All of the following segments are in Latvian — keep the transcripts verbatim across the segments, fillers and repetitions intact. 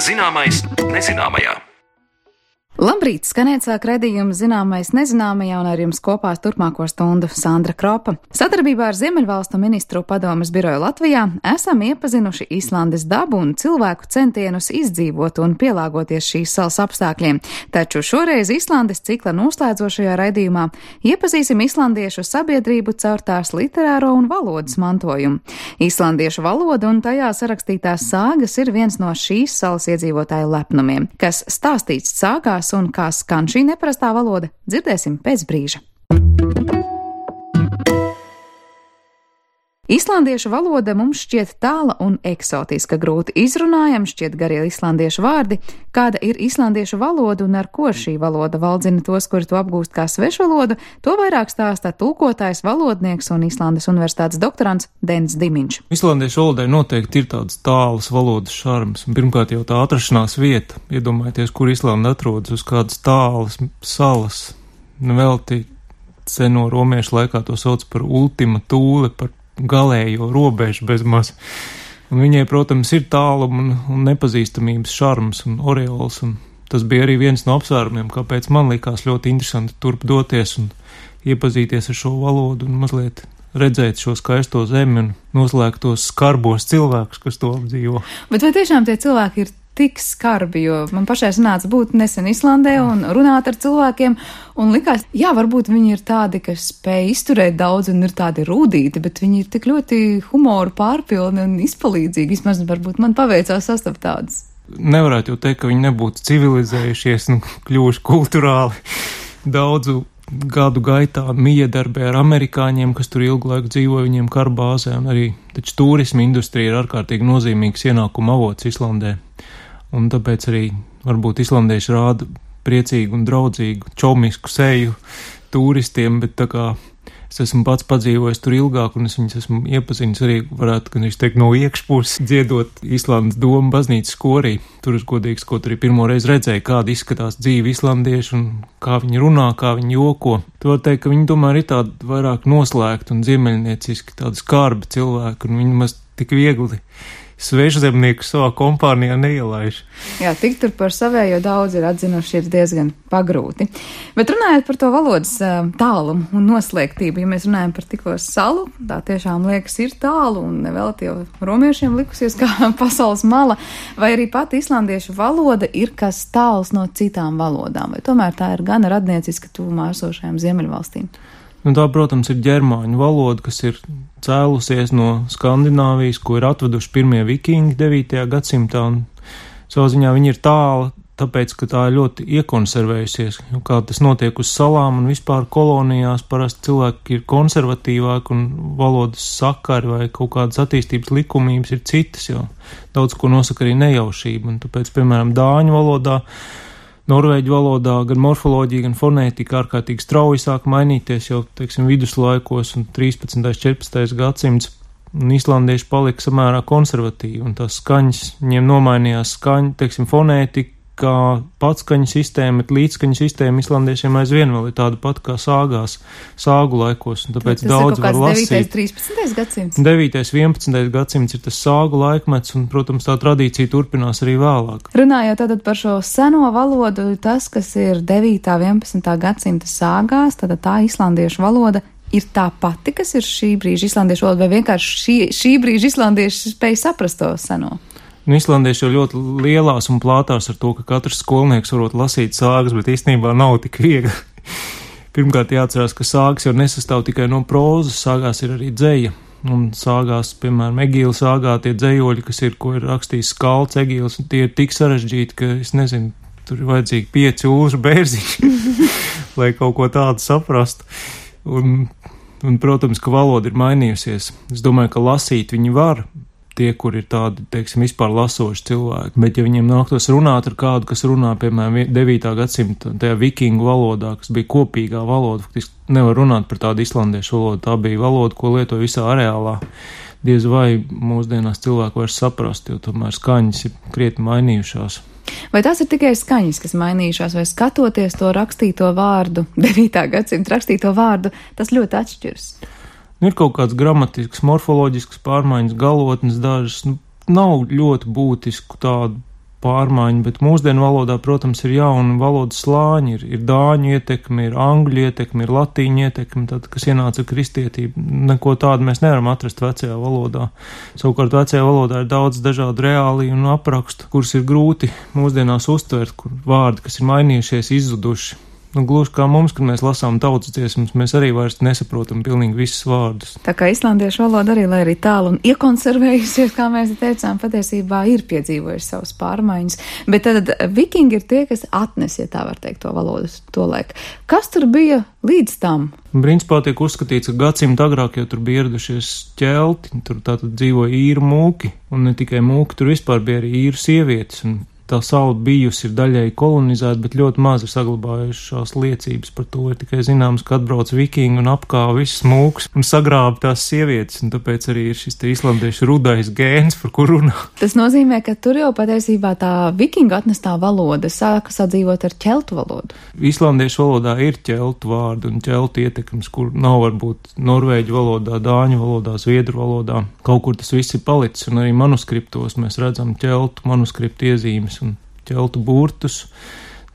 Zināmais nezināmajā. Labrīt, skanēt sāk redzījums Zināmais nezināmajā, un ar jums kopā turpmāko stundu Sandra Kropa. Sadarbībā ar Ziemeļvalstu ministru padomes biroju Latvijā esam iepazinuši Islandes dabu un cilvēku centienus izdzīvot un pielāgoties šīs salas apstākļiem. Taču šoreiz Islandes cikla noslēdzošajā raidījumā iepazīsim islandiešu sabiedrību caur tās literāro un valodas mantojumu. Islandiešu valoda un tajā sarakstītās sāgas ir viens no šīs salas iedzīvotāju lepnumiem. Kas stāstīts sāgās un kā skan šī neparastā valoda, dzirdēsim pēc brīža. Islandiešu valoda mums šķiet tāla un eksotiska, grūti izrunājama, šķiet garie islandiešu vārdi. Kāda ir islandiešu valoda un ar ko šī valoda valdzina tos, kuri to apgūst kā svešvalodu, to vairāk stāsta tulkotājs, valodnieks un Islandes universitātes doktorants Denis Dimiņš. Islandiešu valodai noteikti ir tāds tālas valodas šarms. Pirmkārt jau tā atrašanās vieta. Iedomājieties, kur Islanda atrodas, uz kādas tālas salas. Nevelti seno romiešu laikā to sauc par ultima tūle, par galējo robežu bezmaz. Un viņai, protams, ir tāluma un, un nepazīstamības šarms un oreols, un tas bija arī viens no apsvērumiem, kāpēc man likās ļoti interesanti turp doties un iepazīties ar šo valodu un mazliet redzēt šo skaisto zemi un noslēgt tos skarbos cilvēkus, kas to apdzīvo. Bet vai tiešām tie cilvēki ir tik skarbi, jo man pašai sanāca būt nesen Islandē un runāt ar cilvēkiem, un likās, jā, varbūt viņi ir tādi, kas spēj izturēt daudz un ir tādi rūdīti, bet viņi ir tik ļoti humoru pārpilni un izpalīdzīgi. Vismaz varbūt man paveicās sastapt tādus. Nevarētu jau teikt, ka viņi nebūtu civilizējušies un kļuvuši kulturāli daudzu gadu gaitā miedarbē ar amerikāņiem, kas tur ilgu laiku dzīvo viņiem karbāzē, un arī taču turisma industrija ir ārkārtīgi nozīmīgs ienākuma avots Islandē. Un tāpēc arī varbūt islandieši rāda priecīgu un draudzīgu, čomisku seju turistiem, bet tā kā es esmu pats padzīvojis tur ilgāk un es viņus esmu iepazinis arī, varētu, gan es teiktu, no iekšpuses dziedot Islandes domu baznīcas korī. Tur es godīgs, ko tur arī pirmo reizi redzēju, kāda izskatās dzīve islandieši un kā viņi runā, kā viņi joko. Tu var teikt, ka viņi tomēr ir tādi vairāk noslēgti un ziemeļnieciski, tādi skarbi cilvēki, un viņi maz tik viegli svešzemnieku savā kompānijā neielaiž. Jā, tik tur par savējo daudz ir atzinuši, ir diezgan pagrūti. Bet runājot par to valodas tālumu un noslēgtību, ja mēs runājam par tikko salu, tā tiešām liekas ir tālu un vēl tie romiešiem likusies kā pasaules mala, vai arī pat islandiešu valoda ir kas tāls no citām valodām, vai tomēr tā ir gan radnieciska tuvumā esošajām Ziemeļvalstīm? Nu, tā, protams, ir ģermāņu valoda, kas ir cēlusies no Skandināvijas, ko ir atveduši pirmie vikingi devītajā gadsimtā, un savā ziņā viņi ir tāla, tāpēc, ka tā ir ļoti iekonservējusies. Kā tas notiek uz salām un vispār kolonijās, parasti cilvēki ir konservatīvāki un valodas sakari vai kaut kādas attīstības likumības ir citas, jo daudz ko nosaka arī nejaušība, un tāpēc, piemēram, dāņu valodā, norvēģu valodā gan morfoloģija, gan fonētika ārkārtīgi strauji sāk mainīties jau, teiksim, viduslaikos un trīspadsmitais, četrpadsmitais gadsimts, un islandieši palika samērā konservatīvi, un tās skaņas, viņiem nomainījās skaņa, teiksim, fonētika, kā patskaņu sistēma, bet līdzskaņu sistēma islandiešiem aizvien vēl ir tāda pat kā sāgās, sāgu laikos, un tāpēc daudz var lasīt. Tas ir kaut kāds devītais, trīspadsmitais gadsimts? devītais, vienpadsmitais gadsimts ir tas sāgu laikmets, un, protams, tā tradīcija turpinās arī vēlāk. Runājot tātad par šo seno valodu, tas, kas ir devītā, vienpadsmitā gadsimta sāgās, tad tā islandiešu valoda ir tā pati, kas ir šī brīža islandiešu valoda, vai vienkārši šī, šī brīža islandieši spēj saprast to seno? Nu, islandieši jau ļoti lielās un plātās ar to, ka katrs skolnieks varot lasīt sāgas, bet īstenībā nav tik viegli. Pirmkārt jāatcerās, ka sāgas jau nesastāv tikai no prózas, sāgās ir arī dzeja. Un sāgās, piemēram, Egīla sāgā tie dzejoļi, kas ir, ko ir rakstījis Skalds Egīls, un tie ir tik sarežģīti, ka, es nezinu, tur ir vajadzīgi pieci ūžu bērziņi, lai kaut ko tādu saprastu. Un, un, protams, ka valoda ir mainījusies. Es domāju, ka lasīt viņi var, tie, kur ir tādi, teiksim, vispār lasoši cilvēki, bet ja viņiem nāktos runāt ar kādu, kas runā, piemēram, devītā gadsimta tajā vikingu valodā, kas bija kopīgā valoda, faktiski nevar runāt par tādu islandiešu valodu, tā bija valoda, ko lietoja visā areālā. Diez vai mūsdienās cilvēku vairs saprast, jo tomēr skaņas ir krietni mainījušās. Vai tās ir tikai skaņas, kas mainījušās, vai skatoties to rakstīto vārdu, devītā gadsimta rakstīto vārdu, tas ļoti atšķiras? Ir kaut kāds gramatisks, morfoloģisks pārmaiņas, galotnes dažas, nu, nav ļoti būtisku tādu pārmaiņu, bet mūsdienu valodā, protams, ir jauni valodas slāņi, ir, ir dāņu ietekme, ir angļu ietekme, ir latīņu ietekme, tad, kas ienāca kristietība. Neko tādu mēs nevaram atrast vecajā valodā. Savukārt vecajā valodā ir daudz dažādu reāliju un aprakstu, kurus ir grūti mūsdienās uztvert, kur vārdi, kas ir mainījušies, izzuduši. Nu, gluži kā mums, kad mēs lasām tautas dziesmas, mēs arī vairs nesaprotam pilnīgi visus vārdus. Tā kā islandiešu valoda arī, lai arī tālu un iekonservējusies, kā mēs teicām, patiesībā ir piedzīvojuši savas pārmaiņas. Bet tad vikingi ir tie, kas atnes, ja tā var teikt, to valodu to laiku. Kas tur bija līdz tam? Principā tiek uzskatīts, ka gadsimta agrāk jau tur bija ieradušies ķelti, tur tātad dzīvoja īru mūki, un ne tikai mūki, tur vispār bija arī īru sievietes, un tā saula bijusi ir daļai kolonizēta, bet ļoti maz ir saglabājušās liecības par to. Ir tikai zināms, ka atbrauc vikingi un apkāva visas mūks un sagrāba tās sievietes, un tāpēc arī ir šis te islandiešu rudais gēns, par kur runā. Tas nozīmē, ka tur jau patiesībā tā vikinga atnestā valoda sāka sadzīvot ar ķeltu valodu. Islandiešu valodā ir ķeltu vārdi un ķeltu ietekmes, kur nav varbūt norvēģu valodā, dāņu valodā, zviedru valodā. Kaut kur tas viss ir palicis, un arī manuskriptos mēs redzam ķeltu manuskriptu iezīmes un ķeltu burtus,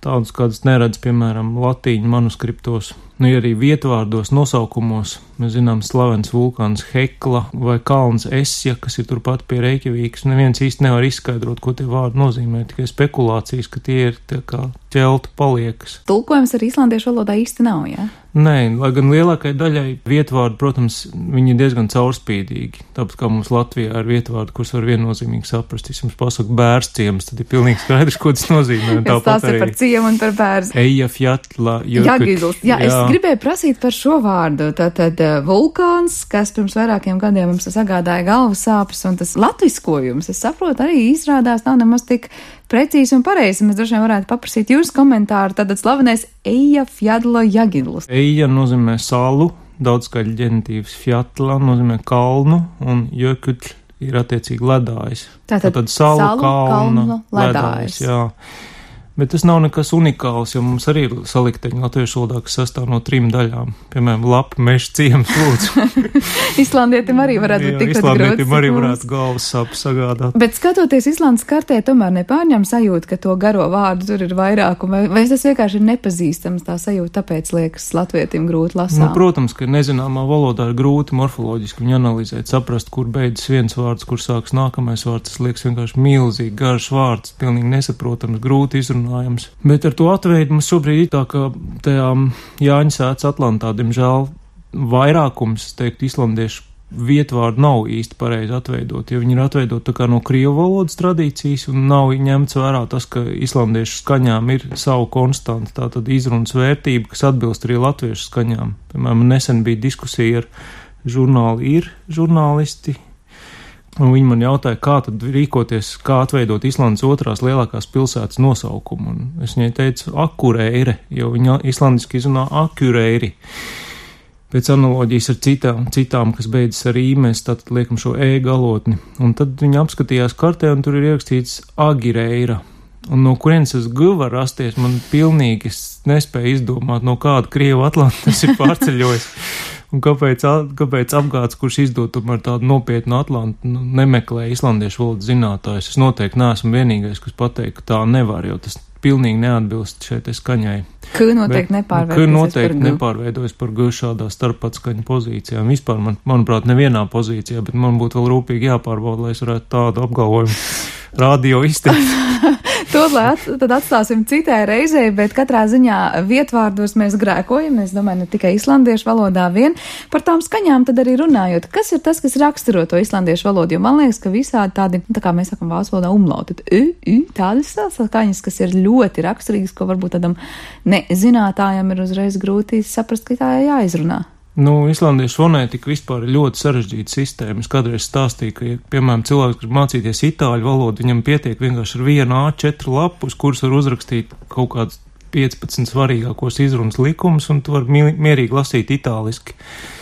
tādus, kādus neredz, piemēram, latīņu manuskriptos. Nu, ja arī vietvārdos nosaukumos, mēs zinām slavens vulkāns Hekla vai kalns Esja, kas ir turpat pie Reikjavīkas, neviens īsti nevar izskaidrot, ko tie vārdi nozīmē, tikai spekulācijas, ka tie ir tā kā ķeltu paliekas. Tulkojums ar islandiešu valodā īsti nav, jā? Nē, lai gan lielākai daļai vietvārdi, protams, viņi ir diezgan caurspīdīgi. Tāpat kā mums Latvijā ir vietvārdi, kurus var viennozīmīgi saprast. Es jums pasaku bērns ciems, tad ir pilnīgi skaidrs, ko tas nozīmē. Tas ir par ciemu un par bērns. Eija fjatla, Jagidls. Jā, es gribēju prasīt par šo vārdu. Tātad vulkāns, kas pirms vairākiem gadiem mums sagādāja galvas sāpes, un tas latviskojums, es saprotu, arī izrādās nav nemaz tik precīzi un pareizi. Mēs droši vien varētu paprasīt jūsu komentāru. Tātad slavenais Eija fjadla Jagidls. Eija nozīmē salu, daudzskaļu ģenitīvs, fjatla nozīmē kalnu, un jökutļ ir attiecīgi ledājs. Tātad, Tātad salu, salu kalna, kalnu, ledājs, jā. Bet tas nav nekas unikāls, jo mums arī ir salikteņi latviešu valodā, kas sastāv no trim daļām. Piemēram, lapa, meža, ciems, lūdzu. Islandietim arī varētu būt tikpat grūti. Islandietim arī varētu galvas sāpes sagādāt. Bet skatoties Islandes kartē, tomēr nepārņem sajūta, ka to garo vārdu tur ir vairāk, vai, vai tas vienkārši ir nepazīstams tā sajūta, tāpēc liekas latvietim grūti lasām? Nu, protams, ka nezināmā valodā ir grūti morfoloģiski viņu analizēt, saprast, kur beidzas viens vārds, kur sāks nākamais vārds. Tas liekas vienkārši milzīgi garš vārds, pilnīgi nesaprotams, grūti izrunāt. Bet ar to atveidu mums šobrīd ir tā, ka tajā Jāņa sētas Atlantā, diemžēl, vairākums, teikt, islandiešu vietvārdu nav īsti pareizi atveidot, jo viņi ir atveidot tā kā no krievu valodas tradīcijas un nav ņemts vērā tas, ka islandiešu skaņām ir savu konstantu, tātad izrunas vērtība, kas atbilst arī latviešu skaņām. Piemēram, nesen bija diskusija ar žurnāli ir žurnālisti, un viņi man jautāja, kā tad rīkoties, kā atveidot Islandes otrās lielākās pilsētas nosaukumu. Un es viņai teicu Akureire, jo viņa islandiski izrunā Akureiri. Pēc analoģijas ar citām, citām, kas beidzas ar I, mēs tātad liekam šo E galotni. Un tad viņa apskatījās kartē, un tur ir ierakstīts Agireira. Un no kurienes tas G var rasties, man pilnīgi nespēja izdomāt, no kāda Krievu Atlantu tas ir pārceļojis. Un kāpēc, kāpēc apgāds, kurš izdod tomēr tādu nopietnu Atlantu, nu, nemeklē islandiešu valodas zinātājus? Es noteikti neesmu vienīgais, kas pateikt, ka tā nevar, jo tas pilnīgi neatbilst šeit skaņai. K noteikti nepārveidojas K noteikti par G. nepārveidojas par G šādā starpatskaņu pozīcijā. Vispār, man, manuprāt, nevienā pozīcijā, bet man būtu vēl rūpīgi jāpārbauda, lai es varētu tādu apgalvojumu radio izteikt. To at, tad atstāsim citai reizei, bet katrā ziņā vietvārdos mēs grēkojam, es domāju, ne tikai islandiešu valodā vien. Par tām skaņām tad arī runājot, kas ir tas, kas raksturo to islandiešu valodu, jo man liekas, ka visādi tādi, tā kā mēs sakam vācu valodā umlauti, tad ü, ü, tādas skaņas, kas ir ļoti raksturīgas, ko varbūt tādam nezinātājam ir uzreiz grūti saprast, ka tā jāizrunā. Nu, islandiešu fonētika vispār ir ļoti sarežģīta sistēma. Es kādreiz stāstīju, ka, ja, piemēram, cilvēks grib mācīties itāļu valodu, viņam pietiek vienkārši ar vienu A četru lapu, uz kuras var uzrakstīt kaut kādus piecpadsmit svarīgākos izrunas likumus, un tu vari mierīgi lasīt itāliski.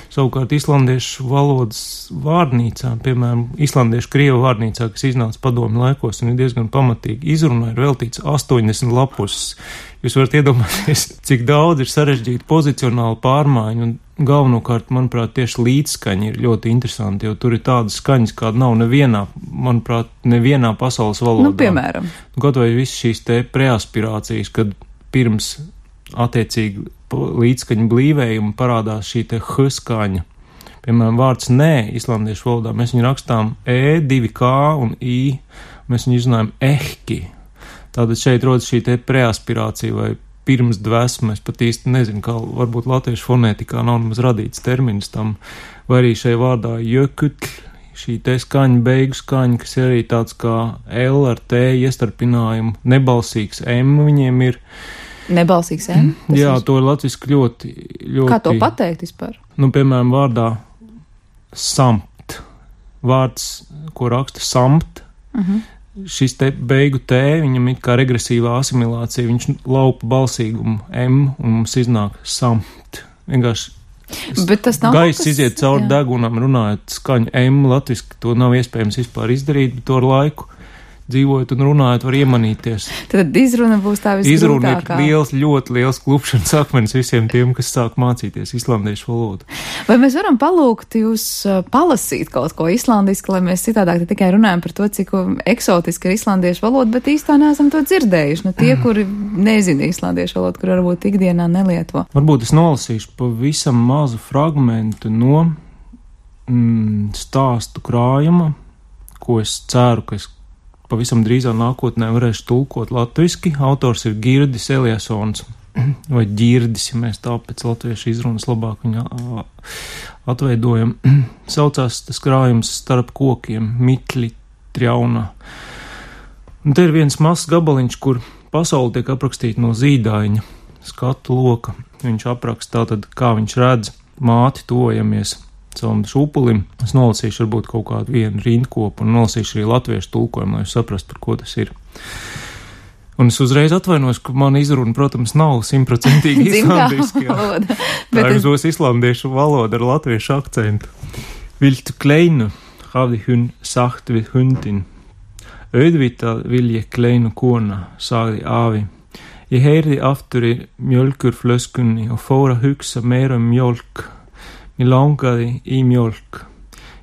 Savukārt islandiešu valodas vārnīcā, piemēram, islandiešu krievu vārnīcā, kas iznāca padomju laikos un ir diezgan pamatīgi izrunā, ir veltīts astoņdesmit lapus. Jūs varat iedomāties, cik daudz ir sarežģīta pozicionāla pārmaiņa, un galvenokārt, manuprāt, tieši līdzskaņa ir ļoti interesanti, jo tur ir tādas skaņas, kāda nav nevienā manuprāt, nevienā pasaules valodā. Nu, piemēram. Kaut vai visas šīs te preaspirācijas, kad pirms attiecīgi līdzskaņu blīvējuma parādās šī te h skaņa. Piemēram, vārds nē islandiešu valodā, mēs viņu rakstām e, divi k un i, mēs viņu izrunājam ehki. Tātad šeit rodas šī te preaspirācija vai pirms dvēsma, es pat īsti nezinu, kā varbūt latviešu fonētikā nav nemaz radīts termins tam, vai arī šai vārdā jökutl, šī te skaņa, beigu skaņa, kas ir arī tāds kā L ar T iestarpinājumu, nebalsīgs M viņiem ir. Nebalsīgs M? Jā, ir... to ir latviski ļoti, ļoti... Kā to pateikt vispār? Nu, piemēram, vārdā samt. Vārds, ko raksta samt, uh-huh. Šis te beigu T, viņam ir kā regresīvā asimilācija, viņš laupa balsīgumu M un mums iznāk samt. Vienkārši Bet tas nav gaiss kas... iziet cauri jā. degunam, runājot skaņu M latviski, to nav iespējams vispār izdarīt, bet to ar laiku dzīvojot un runājot var iemanīties. Tad izruna būs tā visgrūtākā. Izruna ir liels, ļoti liels klupšanas akmens visiem tiem, kas sāk mācīties islandiešu valodu. Vai mēs varam palūgt jūs palasīt kaut ko islandiski, lai mēs citādāk tikai runājam par to, cik eksotiski ir islandiešu valoda, bet īstā neesam to dzirdējuši. Nu, tie, kuri nezina islandiešu valodu, kur varbūt ikdienā nelieto. Varbūt es nolasīšu pavisam mazu fragmentu no mm, stāstu krājuma, ko es ceru, ka es pavisam drīzā nākotnē varēšu tulkot latviski. Autors ir Girdis Eliasons, vai Girdis, ja mēs tā pēc latviešu izrunas labāk viņu atveidojam. Saucās tas krājums Starp kokiem, Mitli Trjauna. Un te ir viens mazs gabaliņš, kur pasauli tiek aprakstīta no zīdaiņa skatu loka. Viņš apraksta tātad, kā viņš redz māti tojamies savam šūpulim. Es nolasīšu varbūt kaut kādu vienu rindkopu un nolasīšu arī latviešu tulkojumu, lai jūs saprastu, par ko tas ir. Un es uzreiz atvainos, ka man izruna, protams, nav simtprocentīgi islandiski. Tā ir uz es... islandiešu valoda ar latviešu akcentu. Viltu kleinu, havdi hun sagt vid hundin. Ödvita vilje kleinu kona, sagði afi. Ég heyrði aftur í mjölkurflöskunni og fór að hugsa meira um mjölk. Mér langaði í mjölk.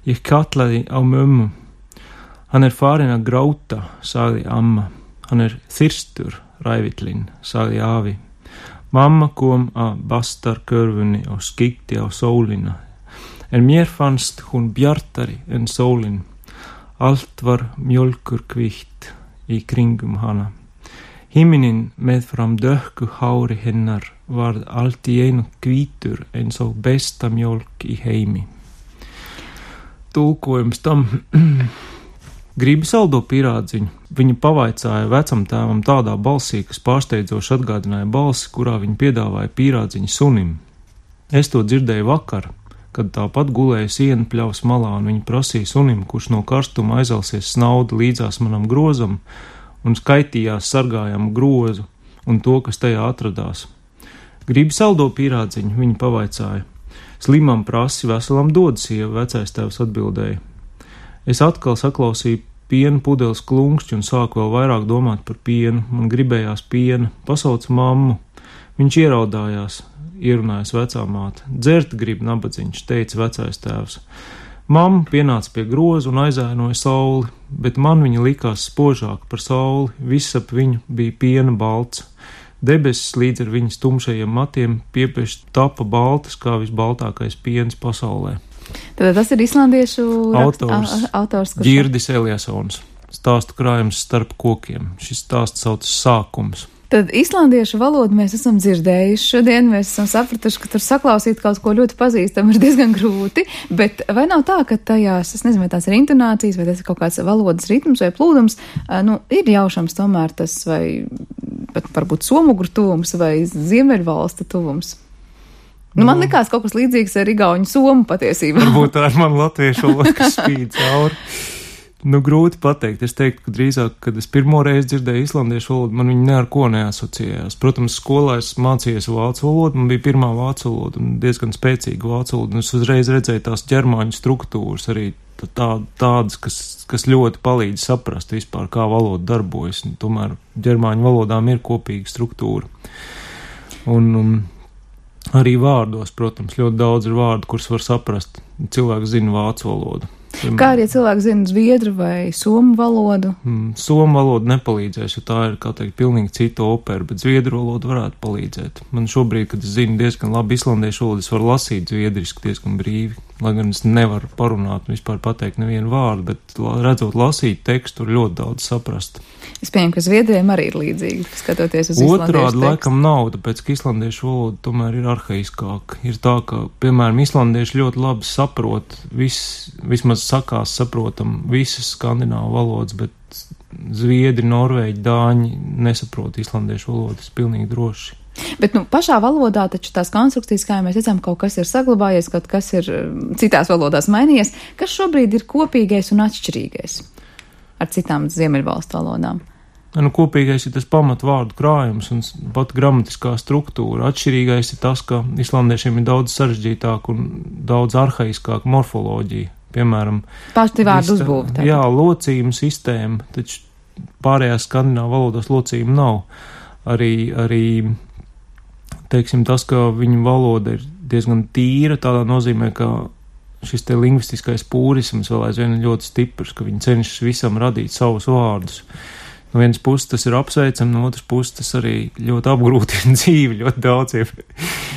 Ég kallaði á mömmu. Hann er farin að gráta, sagði amma. Hann er þyrstur, rævillinn, sagði afi. Mamma kom að bastarkörfunni og skikti á sólina. En mér fannst hún bjartari en sólin. Allt var mjölkurkvítt í kringum hana. Himinin meðfram dökku hári hennar varð allt í einu hvítur eins og besta mjölk í heimi. Tulkojums tam gribi saldo pīrādziņu. Viņa pavaicāja vecam tēvam tādā balsī, kas pārsteidzoši atgādināja balsi, kurā viņa piedāvāja pīrādziņu sunim. Es to dzirdēju vakar, kad tāpat gulēja siena pļavas malā, un viņa prasīja sunim, kurš no karstuma aizelsies snaudu līdzās manam grozam, un skaitījās sargājamu grozu un to, kas tajā atradās. Gribi saldo pīrādziņu, viņa pavaicāja. Slimam prasi, veselam dod sieva, vecais tēvs atbildēja. Es atkal saklausīju piena pudeles klunkšķi un sāku vēl vairāk domāt par pienu. Man gribējās piena, pasauca mammu. Viņš ieraudājās, ierunājas vecā māte. Dzert grib nabadziņš, teica vecais tēvs. Mamma pienāca pie groza un aizēnoja sauli, bet man viņa likās spožāk par sauli, viss ap viņu bija piena balts. Debesis līdz ar viņas tumšajiem matiem piepieši tapa baltas, kā visbaltākais piens pasaulē. Tad tas ir islandiešu autors, rakst, autors kurš... Girdis Eliasons, stāstu krājums Starp kokiem. Šis stāsts saucas Sākums. Tad islandiešu valodu mēs esam dzirdējuši šodien, mēs esam sapratuši, ka tur saklausīt kaut ko ļoti pazīstam ir diezgan grūti, bet vai nav tā, ka tajās, es nezinu, vai tās ir intonācijas, vai tas ir kaut kāds valodas ritms vai plūdums, nu, ir jaušams tomēr tas, vai pat varbūt somugru tuvums vai ziemeļvalsta tuvums? Nu, man likās kaut kas līdzīgs ar igauņu somu patiesībā. Varbūt tā ir man latviešu valoda, kas spīd cauri. Nu, grūti pateikt. Es teiktu, ka drīzāk, kad es pirmo reizi dzirdēju islandiešu valodu, man viņa ne ar ko neasociējās. Protams, skolā es mācījos vācu valodu, man bija pirmā vācu valoda un diezgan spēcīga vācu valoda, un es uzreiz redzēju tās ģermāņu struktūras, arī tā, tādas, kas, kas ļoti palīdz saprast vispār, kā valoda darbojas. Un, tomēr ģermāņu valodām ir kopīga struktūra. Un um, arī vārdos, protams, ļoti daudz ir vārdu, kurus var saprast. Cilvēks zina vācu valodu. Kā arī cilvēki zina zviedru vai somu valodu? Mm, somu valoda nepalīdzēs, jo tā ir, kā teikt, pilnīgi cita opera, bet zviedru valoda varētu palīdzēt. Man šobrīd, kad es zinu diezgan labi islandiešu valodu, es varu lasīt zviedriski diezgan brīvi, lai gan es nevaru parunāt un vispār pateikt nevienu vārdu, bet redzot lasīt tekstu, tur ļoti daudz saprast. Es pieņemu, ka zviedriem arī ir līdzīgi, skatoties uz islandiešu tekstu. Otrādi laikam nav, tāpēc, ka islandiešu valoda tomēr ir arhaiskāka. Ir tā, ka, piemēram, islandieši ļoti labi saprot, vis, vismaz sakās saprotam visas skandināvu valodas, bet zviedri, norvēģi, dāņi nesaprot islandiešu valodas pilnīgi droši. Bet, nu, pašā valodā taču tās konstrukcijas, kā mēs redzam, kaut kas ir saglabājies, kaut kas ir citās valodās mainījies. Kas šobrīd ir kopīgais un atšķirīgais ar citām ziemeļvalstu valodām? Nu, kopīgais ir tas pamatvārdu krājums un pat gramatiskā struktūra. Atšķirīgais ir tas, ka islandiešiem ir daudz sarežģītāk un daudz arhaiskāk morfoloģija. Piemēram, paši vārdu uzbūve. Jā, locījuma sistēma, taču pārējās skandināvu valodās locījuma nav. Arī, arī, teiksim, tas, ka viņu valoda ir diezgan tīra, tādā nozīmē, ka šis te lingvistiskais pūrisms vēl aizvien ir ļoti stiprs, ka viņi cenšas visam radīt savus vārdus. No vienas puses tas ir apsveicam, no otras puses tas arī ļoti apgrūtina dzīvi ļoti daudziem.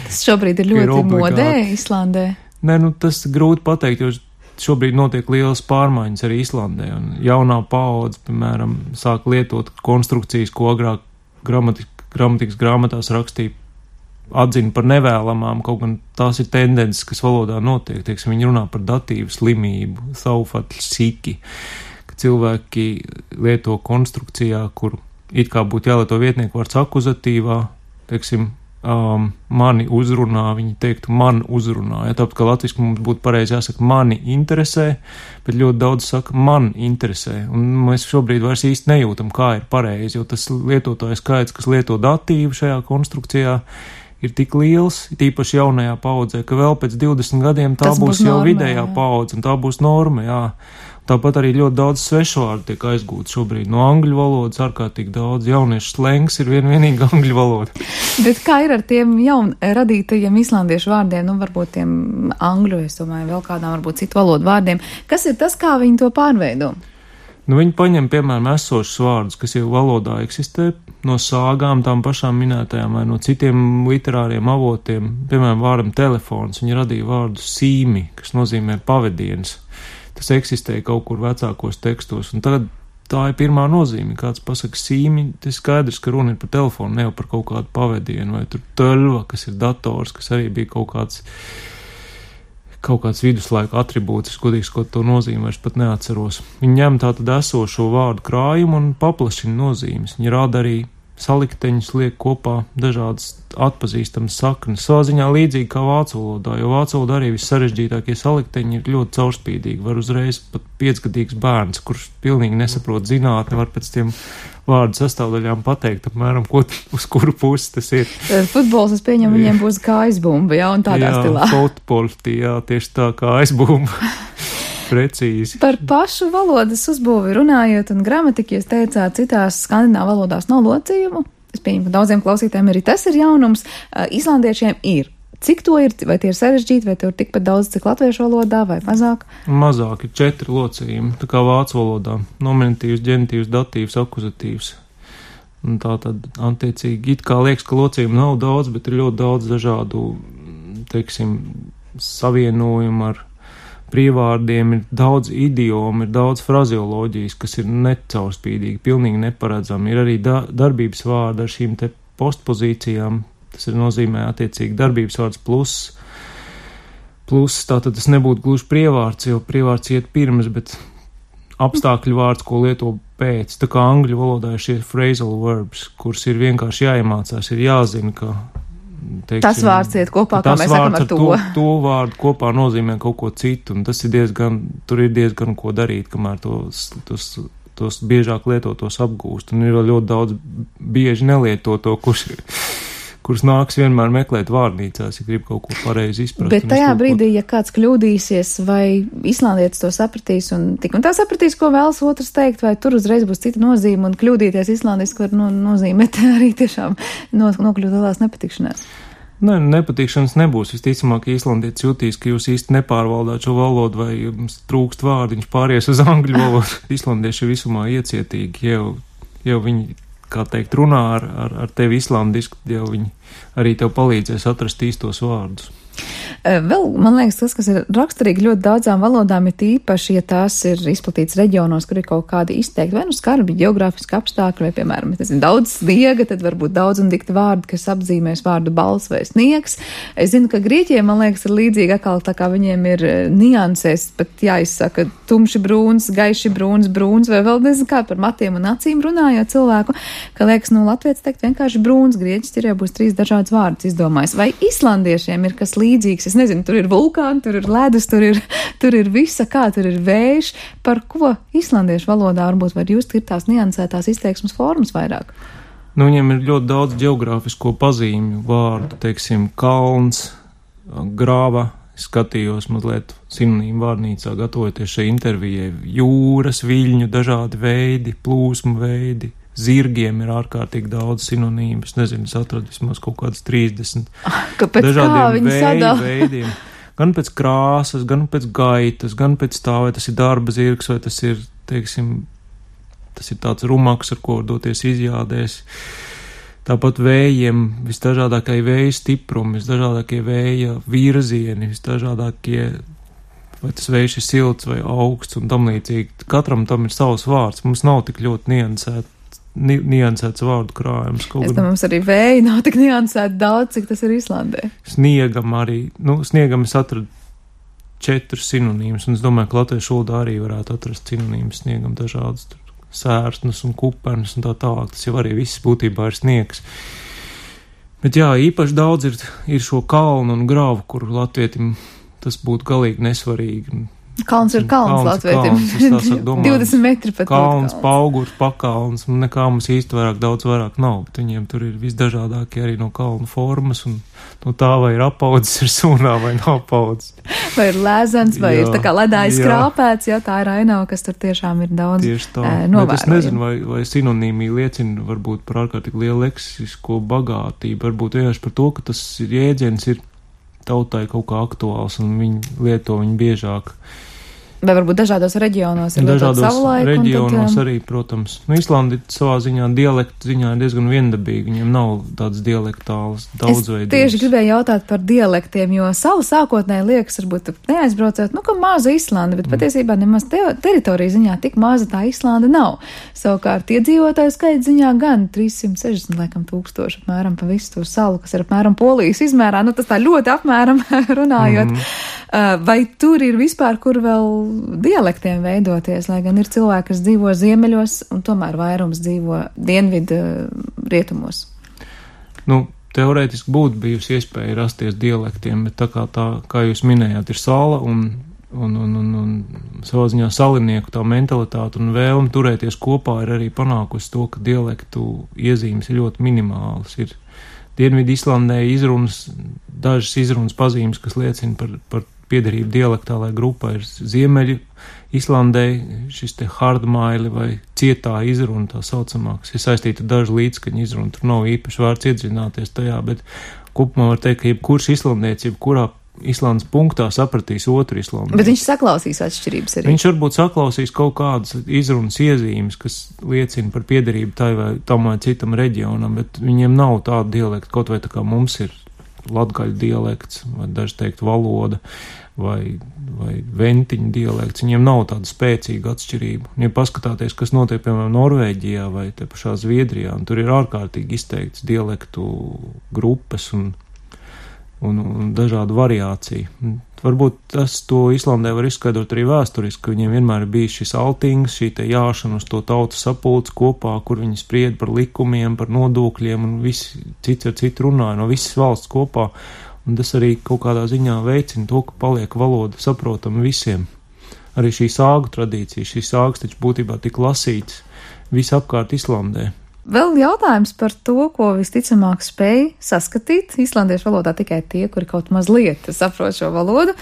Tas šobrīd ir ļoti ir modē Islandē. Nē, nu tas grūti pateikt, jo šobrīd notiek lielas pārmaiņas arī Islandē, un jaunā paudze, piemēram, sāk lietot konstrukcijas, ko agrāk gramatik- gramatikas grāmatās rakstīja, atzina par nevēlamām, kaut gan tās ir tendences, kas valodā notiek. Tieksim, viņi runā par datīvu slimību, saufatļu siki, ka cilvēki lieto konstrukcijā, kur it kā būtu jālieto vietnieku vārds akuzatīvā, teiksim, um, mani uzrunā, viņi teiktu man uzrunā. Ja, tāpēc, ka latviski mums būtu pareizi jāsaka mani interesē, bet ļoti daudz saka man interesē. Un mēs šobrīd vairs īsti nejūtam, kā ir pareizi, jo tas lietotāju skaits, kas lieto datīvu šajā konstrukcijā, ir tik liels, tīpaši jaunajā paudzē, ka vēl pēc divdesmit gadiem tā tas būs, būs jau norma, vidējā jā. paudze, un tā būs norma, jā. Tāpat arī ļoti daudz svešvārdu tiek aizgūti šobrīd no angļu valodas, ārkārtīgi daudz jauniešu slengs ir vien vienīgi angļu valoda. Bet kā ir ar tiem jaun radītajiem islandiešu vārdiem, nu varbūt tiem angļu, es domāju, vēl kādām varbūt citu valodu vārdiem, kas ir tas, kā viņi to pārveido? Nu, viņi paņem, piemēram, esošus vārdus, kas jau valodā eksistē, no sāgām tām pašām minētajām vai no citiem literāriem avotiem, piemēram, vārdam telefons, viņi radīja vārdu sīmi, kas nozīmē pavadienas. Tas eksistēja kaut kur vecākos tekstos, un tagad tā ir pirmā nozīme. Kāds pasaka sīmi, tas skaidrs, ka runa ir par telefonu, ne jau par kaut kādu pavadienu, vai tur tölva, kas ir dators, kas arī bija kaut kāds, kaut kāds viduslaika atribūts, es godīgi sakot, to nozīmi vairs pat neatceros. Viņi ņem tātad esošo vārdu krājumu un paplašina nozīmes. Viņi rāda arī salikteņus, liek kopā dažādas atpazīstamas saknes. Savā ziņā līdzīgi kā vācu valodā, jo vācu valodā arī vissarežģītākie salikteņi ir ļoti caurspīdīgi. Var uzreiz pat piecgadīgs bērns, kurš pilnīgi nesaprot zinātni, var pēc tiem vārdu sastāvdaļām pateikt, apmēram, ko, uz kuru pusi tas ir. Futbols, es pieņemu, viņiem būs kā aizbumba, jā, un tādā jā, stilā. Jā, futbolti, jā, tieši tā kā aizbumba. Precīzi. Par pašu valodas uzbūvi runājot un gramatiku, jūs teicāt, citās skandināvu valodās nav locījumu. Es pieņemu, ka daudziem klausītājiem arī tas ir jaunums. Islandiešiem ir. Cik to ir? Vai tie ir sarežģīti, vai tie ir tikpat daudz, cik latviešu valodā, vai mazāk? Mazāk ir četri locījumi, tā kā vācu valodā. Nominatīvs, ģenitīvs, datīvs, akuzatīvs. Un tā tad, attiecīgi, it kā liekas, ka locījumu nav daudz, bet ir ļoti daudz dažādu, teiksim, savienojumu ar prievārdiem, ir daudz idiomu, ir daudz frazeoloģijas, kas ir necaurspīdīgi, pilnīgi neparedzami. Ir arī da darbības vārdi ar šīm te postpozīcijām, tas ir nozīmē attiecīgi darbības vārds plus, plus tātad tas nebūtu gluži prievārds, jo prievārds iet pirms, bet apstākļu vārds, ko lieto pēc. Tā kā angļu valodā ir šie phrasal verbs, kurus ir vienkārši jāiemācās, ir jāzina, ka teiksim, tas vārds iet kopā, kā mēs sakam ar to. to. To vārdu kopā nozīmē kaut ko citu, un tas ir diezgan, tur ir diezgan ko darīt, kamēr tos, tos, tos biežāk lietotos apgūst, un ir vēl ļoti daudz bieži nelietoto, kurš, kurus nāks vienmēr meklēt vārnīcās, ja grib kaut ko pareizi izprast. Bet tajā brīdī, ja kāds kļūdīsies, vai islandietis to sapratīs, un tik un tā sapratīs, ko vēlas otrs teikt, vai tur uzreiz būs cita nozīme, un kļūdīties islandiski var no, nozīmēt arī tiešām no, nokļūt lielās nepatikšanās. Ne, nepatīkšanas nebūs. Visticamāk, islandietis jutīs, ka jūs īsti nepārvaldāt šo valodu vai jums trūkst vārdu, viņš pāries uz angļu valodu. Islandieši ir visumā iecietīgi, jau, jau viņi, kā teikt, runā ar, ar, ar tevi islandiski, jau viņi arī tev palīdzēs atrast īstos vārdus. Vēl, man liekas, tas, kas ir raksturīgi ļoti daudzām valodām, ir tīpaši, ja tās ir izplatīts reģionos, kur ir kaut kādi izteikti, vai nu skarbi geogrāfiski apstākļi, vai, piemēram, es zinu, daudz sniega, tad varbūt daudz un dikti vārdi, kas apzīmēs vārdu bals vai sniegs. Es zinu, ka Grieķiem, man liekas, ir līdzīgi atkal, tā kā viņiem ir niansēs, pat jāizsaka tumši brūns, gaiši brūns, brūns, vai vēl nezinu kā par matiem un acīm runājot cilvēku, ka liekas, nu, latviets teikt vienkārši brūns, grieķis ir jau būs trīs dažādas vārdus izdomājis. Vai islandiešiem ir kas līdzīgs? Es nezinu, tur ir vulkāni, tur ir ledus, tur ir, tur ir visa, kā tur ir vējš. Par ko islandiešu valodā varbūt var just ir tās niansētās izteiksmes formas vairāk? Nu, viņiem ir ļoti daudz geogrāfisko pazīmju vārdu, teiksim, kalns, grāva. Skatījos mazliet sinonīmu vārnīcā, gatavoties šai intervijai. Jūras, viļņu, dažādi veidi, plūsmu veidi. Zirgiem ir ārkārtīgi daudz sinonīmas, nezinu, es atradu vismaz kaut kādas trīsdesmit dažādiem vēju veidiem. Gan pēc krāsas, gan pēc gaitas, gan pēc tā, vai tas ir darba zirgs, vai tas ir, teiksim, tas ir tāds rumaks, ar ko doties izjādēs. Tāpat vējiem, visdažādākie vēja stiprumi, visdažādākie vēja virzieni, visdažādākie, vai tas vējš ir silts vai augsts un tam līdzīgi. Katram tam ir savs vārds, mums nav tik ļoti niansēt. Ni, niansēts vārdu krājums. Es tam mums arī vēji nav tik niansēti daudz, cik tas ir Islandē. Sniegam arī, nu, sniegam es atradu četrus sinonīmus, un es domāju, ka latviešu valodā arī varētu atrast sinonīmus sniegam dažādas sērstnes un kupernes un tā tālāk. Tas jau arī viss būtībā ir sniegs. Bet jā, īpaši daudz ir, ir šo kalnu un grāvu, kur latvietim tas būtu galīgi nesvarīgi. Kalns ir kalns, kalns latvietim. divdesmit metri pat. Kalns, paugurs, pakalns, nekā mums īsti vairāk, daudz vairāk nav, bet viņiem tur ir visdažādākie arī no kalnu formas, un no tā vai ir apaudzis ir sūnā vai nav apaudzis. Vai ir lēzens, vai jā, ir tā kā ledājs krāpēts, jā, tā ir ainava, kas tur tiešām ir daudz novērojama. Es nezinu, vai, vai sinonīmija liecina varbūt par ārkārtīgi lielu leksisko bagātību, varbūt vienkārši par to, ka tas jēdziens ir tautai kaut kā aktuāls, un viņi lieto viņu biežāk. Vai varbūt dažādos reģionos ir lietot savu laiku? Dažādos reģionos tad, arī, protams. Nu, Islandi savā ziņā dialektu ziņā ir diezgan viendabīgi, viņiem nav tāds dialektāls daudzveidības. Es tieši gribēju jautāt par dialektiem, jo savu sākotnēji liekas, varbūt neaizbraucot, nu, ka maza Islanda, bet mm. patiesībā nemaz te, teritorija ziņā tik maza tā Islanda nav. Savukārt iedzīvotāju skaits ziņā gan trīssimt sešdesmit laikam tūkstoši apmēram pa visu to salu, kas ir apmēram Polijas izmērā, nu tas tā ļoti apmēram runājot. Mm. Uh, vai tur ir vispār, kur vēl dialektiem veidoties, lai gan ir cilvēki, kas dzīvo ziemeļos un tomēr vairums dzīvo dienvidu rietumos? Nu, teorētiski būtu bijusi iespēja rasties dialektiem, bet tā kā tā, kā jūs minējāt, ir sala un, un, un, un, un savā ziņā salinieku tā mentalitāte un vēlme turēties kopā ir arī panākusi to, ka dialektu iezīmes ir ļoti minimālas. Ir Dienvidu Islandē izrunas, dažas izrunas pazīmes, kas liecina par, par piederību dialektālai grupai, ir Ziemeļu Islandē šis te hardmaili vai cietā izruna tā saucamā, kas ir saistīta ar dažu līdzskaņu izrunu. Tur nav īpaši vārds iedzināties tajā, bet kopumā var teikt, ka jebkurš islandietis, jebkurā Islandes punktā sapratīs otru islandieti. Bet viņš saklausīs atšķirības arī. Viņš varbūt saklausīs kaut kādas izrunas iezīmes, kas liecina par piederību tai vai tam vai citam reģionam, bet viņiem nav tāda dialekta, kaut vai tā kā mums ir latgaļu dialekts, vai daži teikt valoda, vai, vai ventiņu dialekts. Viņiem nav tāda spēcīga atšķirība. Un, ja paskatāties, kas notiek, piemēram, Norvēģijā vai te pašā Zviedrijā, un tur ir ārkārtīgi izteikts dialektu grupas un Un, un dažādu variāciju. Varbūt tas to Islandē var izskaidrot arī vēsturiski, ka viņiem vienmēr ir bijis šis altings, šī te jāšana uz to tautas sapulci kopā, kur viņi spried par likumiem, par nodokļiem un visi cits ar citu runāja no visas valsts kopā. Un tas arī kaut kādā ziņā veicina to, ka paliek valoda saprotama visiem. Arī šī sāgu tradīcija, šīs sāgas taču būtībā tik lasītas visapkārt Islandē. Vēl jautājums par to, ko visticamāk spēj saskatīt islandiešu valodā tikai tie, kuri kaut mazliet saprot šo valodu,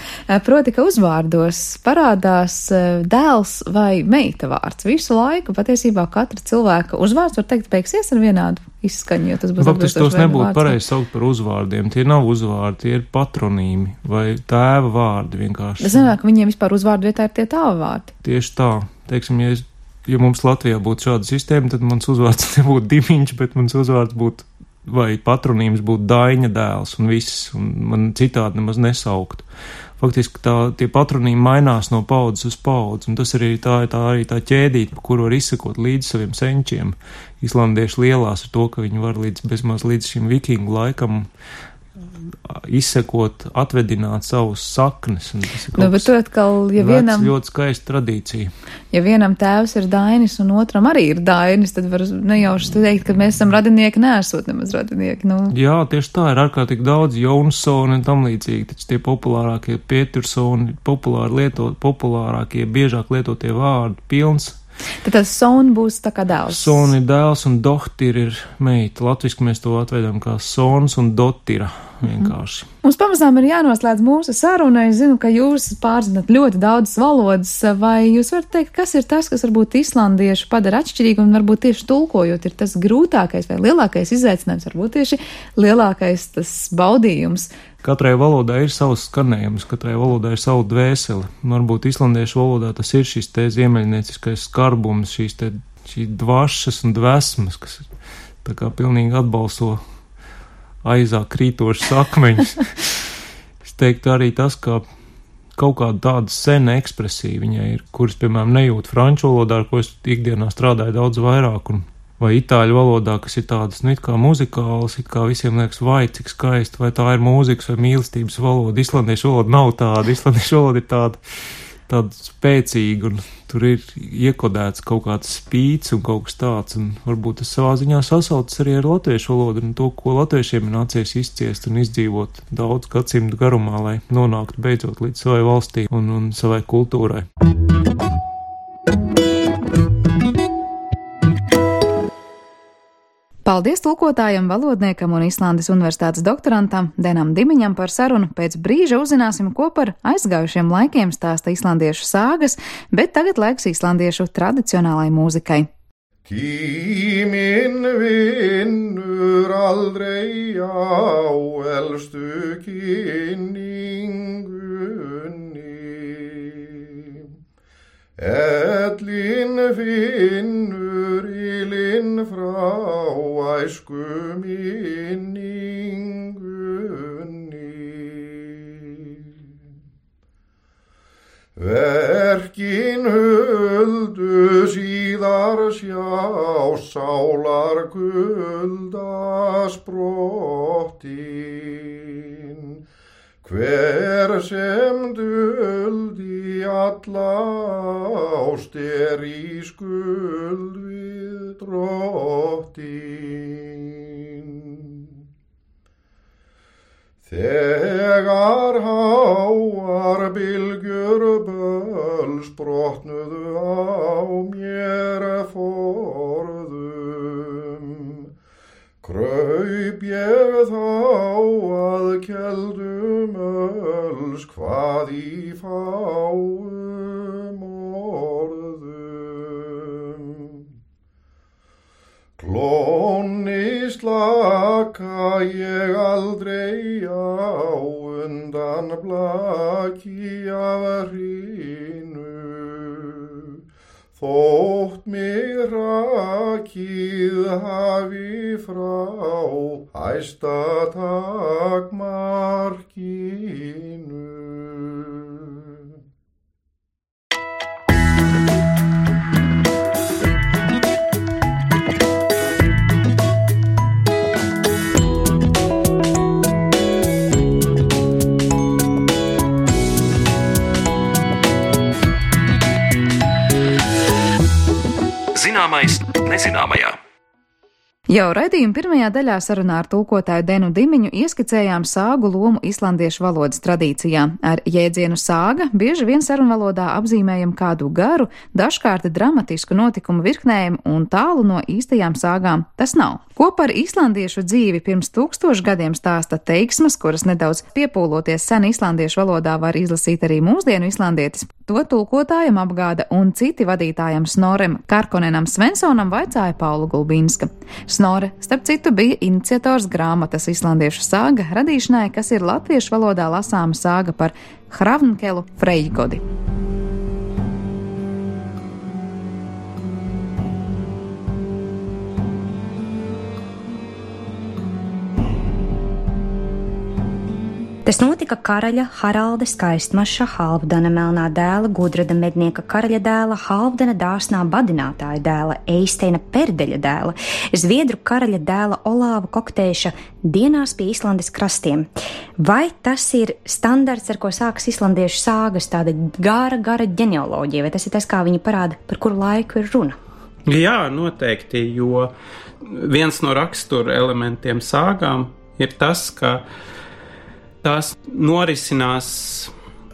proti, ka uzvārdos parādās dēls vai meita vārds. Visu laiku patiesībā katra cilvēka uzvārds, var teikt, beigsies ar vienādu izskaņu, jo tas būs Faktiski tos nebūtu pareizi saukt par uzvārdiem. Tie nav uzvārdi, tie ir patronīmi vai tēva vārdi vienkārši. Es domāju, ka viņiem vispār uzvārdu vietā ir tie tēva vārdi. Tieši tā. Teiksim, ja es Ja mums Latvijā būtu šāda sistēma, tad mans uzvārds nebūtu Dimiņš, bet mans uzvārds būtu, vai patronīms būtu Daiņa dēls un viss, un man citādi nemaz nesauktu. Faktiski tā, tie patronīmi mainās no paudzes uz paudzi, un tas arī tā, tā, arī tā ķēdīte, pa kuru var izsekot līdz saviem senčiem. Islandieši lielās ar to, ka viņi var līdz, bezmaz līdz šim vikingu laikam izsekot, atvedināt savus saknes. Nu, bet tu atkal, ja vienam... ļoti skaista tradīcija. Ja vienam tēvs ir Dainis un otram arī ir Dainis, tad var nejauši teikt, ka mēs esam radinieki, neesot nemaz radinieki. Nu. Jā, tieši tā, ir ārkārtīgi daudz Jonsoni un tam līdzīgi, taču tie populārākie Pietursoni, populāri lietot, populārākie, biežāk lietotie vārdi, pilns. Tad tas son būs tā kā dēls. Son ir dēls un dohtir ir meita. Latviski mēs to atveidām kā sons un dotira vienkārši. Mm. Mums pamazām ir jānoslēdz mūsu saruna. Es zinu, ka jūs pārzināt ļoti daudzas valodas. Vai jūs varat teikt, kas ir tas, kas varbūt islandiešu padara atšķirīgi un varbūt tieši tulkojot ir tas grūtākais vai lielākais izaicinājums, varbūt tieši lielākais tas baudījums? Katrai valodai ir savs skanējums, katrai valodai ir savu dvēseli. Varbūt islandiešu valodā tas ir šis te ziemeļnieciskais skarbums, šīs te šī dvašas un dvēsmas, kas tā kā pilnīgi atbalso aizā krītošas akmeņus. Es teiktu arī tas, ka kaut kāda tāda sena ekspresija viņai ir, kuras, piemēram, nejūt franču valodā, ar ko es ikdienā strādāju daudz vairāk, un vai itāļu valodā, kas ir tādas, nu, it kā muzikālas, it kā visiem liekas, vai cik skaisti, vai tā ir mūzikas vai mīlestības valoda. Islandiešu valoda nav tāda, islandiešu valoda ir tāda, tāda spēcīga, un tur ir iekodēts kaut kāds spīts un kaut kas tāds, un varbūt tas savā ziņā sasaucas arī ar latviešu valodu, un to, ko latviešiem ir nācies izciest un izdzīvot daudz gadsimtu garumā, lai nonāktu beidzot līdz savai valstī un, un savai kultūrai. Paldies tulkotājam, valodniekam un Islandes universitātes doktorantam Denam Dimiņam par sarunu. Pēc brīža uzzināsim, ko par aizgājušiem laikiem stāsta islandiešu sāgas, bet tagad laiks islandiešu tradicionālai mūzikai. Tíminn vinnur aldrei á elstu kynningunni. Ellin finnur ylinn frá æsku minningunni. Verkin huldu síðar sjá sálar kulda sprottin. Hver sem duldi alla ást er í skuld við drottin. Þegar háar bylgjur böls brotnuðu á mér forðum, kraup ég þá að keldum öls hvað í fáum orðum. Klóni slaka ég aldrei á undan blaki af hrínu, þótt mig rakið hafi frá hæsta takmarkinu. Zināmais nezināmajā. Jau raidījuma pirmajā daļā sarunā ar tulkotāju Denu Dimiņu ieskicējām sāgu lomu islandiešu valodas tradīcijā. Ar jēdzienu sāga bieži vien sarunvalodā apzīmējam kādu garu, dažkārt dramatisku notikumu virknējumu un tālu no īstajām sāgām tas nav. Ko par islandiešu dzīvi pirms tūkstošu gadiem stāsta teiksmas, kuras nedaudz piepūloties sen islandiešu valodā var izlasīt arī mūsdienu islandietis. To tulkotājam apgāda un citi vadītājam Snorrem Karkonenam Svensonam vaicāja Paula Gulbinska. Snorre, starp citu, bija iniciators grāmatas islandiešu sāga radīšanai, kas ir latviešu valodā lasāma sāga par Hravnkelu Freyjgodi. Tas notika karaļa Haralda Skaistmaša Halfdana melnā dēla, Gudrada mednieka karaļa dēla, Halfdana dāsnā badinātāja dēla, Eisteina Perdeļa dēla, Zviedru karaļa dēla Olāva Koktēša dienās pie Islandes krastiem. Vai tas ir standarts, ar ko sākas islandiešu sāgas, tāda gara, gara ģenealoģija, vai tas ir tas, kā viņi parāda, par kuru laiku ir runa? Jā, noteikti, jo viens no rakstura elementiem sāgām ir tas, ka tās norisinās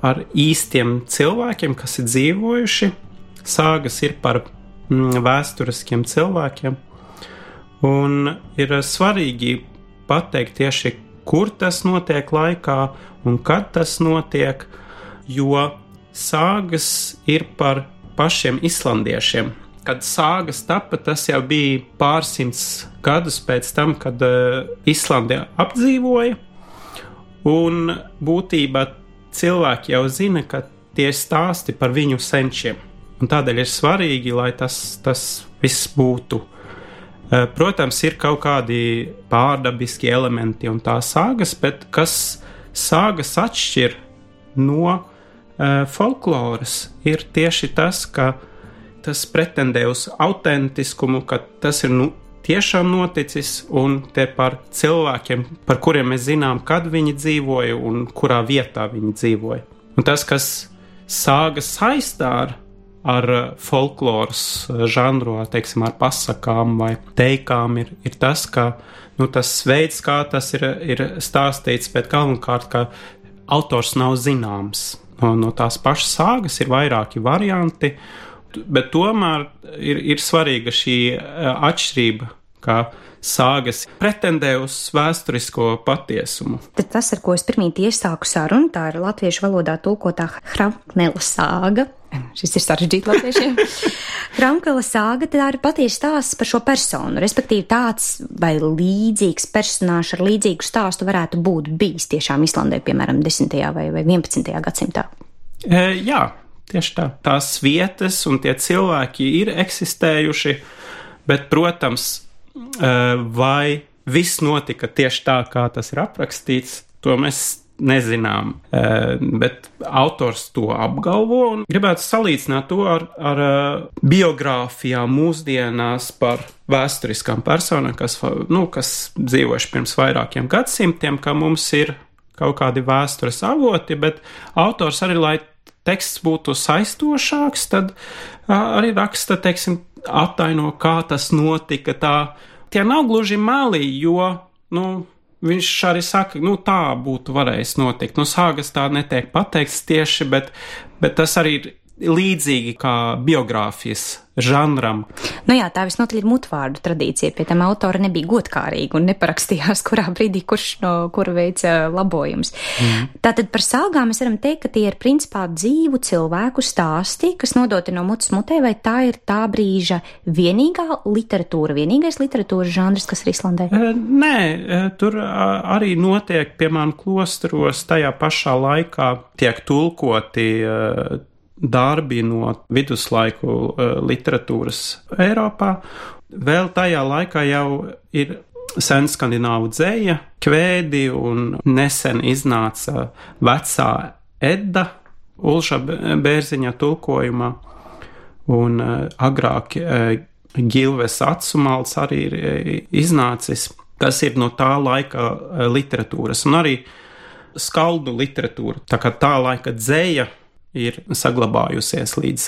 ar īstiem cilvēkiem, kas ir dzīvojuši. Sāgas ir par mm, vēsturiskiem cilvēkiem. Un ir svarīgi pateikt tieši, kur tas notiek laikā un kad tas notiek, jo sāgas ir par pašiem islandiešiem. Kad sāgas tapa, tas jau bija pārsimts gadus pēc tam, kad uh, Islandi apdzīvoja. Un būtībā cilvēki jau zina, ka tie stāsti par viņu senčiem. Un tādēļ ir svarīgi, lai tas, tas viss būtu. Protams, ir kaut kādi pārdabiski elementi un tā sāgas, bet kas sāgas atšķir no uh, folkloras, ir tieši tas, ka tas pretendē uz autentiskumu, ka tas ir nu, tiešām noticis, un te par cilvēkiem, par kuriem mēs zinām, kad viņi dzīvoja un kurā vietā viņi dzīvoja. Un tas, kas sāgas saistā ar, ar folkloras žanru, teiksim, ar pasakām vai teikām, ir, ir tas, ka nu, tas veids, kā tas ir, ir stāstīts, bet galvenokārt, ka autors nav zināms. No, no tās pašas sāgas ir vairāki varianti, bet tomēr ir, ir svarīga šī atšķirība, kā sāgas pretendē uz vēsturisko patiesumu. Tad tas, ar ko es pirmīt iesāku sarunu, tā ir latviešu valodā tulkotā Hravnkela sāga. Šis ir sarežģīti latviešiem. Hravnkela sāga, tā ir patiesi stāsts par šo personu, respektīvi tāds vai līdzīgs personāžs ar līdzīgu stāstu varētu būt bijis tiešām Islandē, piemēram, desmitajā vai vienpadsmitajā gadsimtā. E, jā. Tieši tā. Tās vietas un tie cilvēki ir eksistējuši, bet, protams, vai viss notika tieši tā, kā tas ir aprakstīts, to mēs nezinām. Bet autors to apgalvo un gribētu salīdzināt to ar, ar biogrāfijām mūsdienās par vēsturiskām personām, kas, nu, kas dzīvojuši pirms vairākiem gadsimtiem, ka mums ir kaut kādi vēstures avoti, bet autors arī, lai teksts būtu saistošāks, tad arī raksta, teiksim, attaino, kā tas notika. Tā, tie nav gluži meli, jo, nu, viņš arī saka, nu, tā būtu varējis notikt. Nu, sāgas tā netiek pateikts tieši, bet, bet tas arī ir līdzīgi kā biogrāfijas žanram. Nu jā, tā visnotaļ ir mutvārdu tradīcija, pie tam autora nebija godkārīga un neparakstījās, kurā brīdī kurš no kura veica labojums. Mm. Tātad par sāgām mēs varam teikt, ka tie ir principā dzīvu cilvēku stāsti, kas nodoti no mutes mutē, vai tā ir tā brīža vienīgā literatūra, vienīgais literatūras žanrs, kas ir Islandē? Nē, tur arī notiek, piemēram, klosteros tajā pašā laikā tiek tulkoti darbi no viduslaiku uh, literatūras Eiropā. Vēl tajā laikā jau ir sen skandināvu dzeja, kvēdi un nesen iznāca vecā Edda Ulša Bērziņa tulkojumā un uh, agrāk uh, Gilves Atsumals arī ir uh, iznācis, kas ir no tā laika uh, literatūras un arī skaldu literatūra. Tā kā tā laika dzeja ir saglabājusies līdz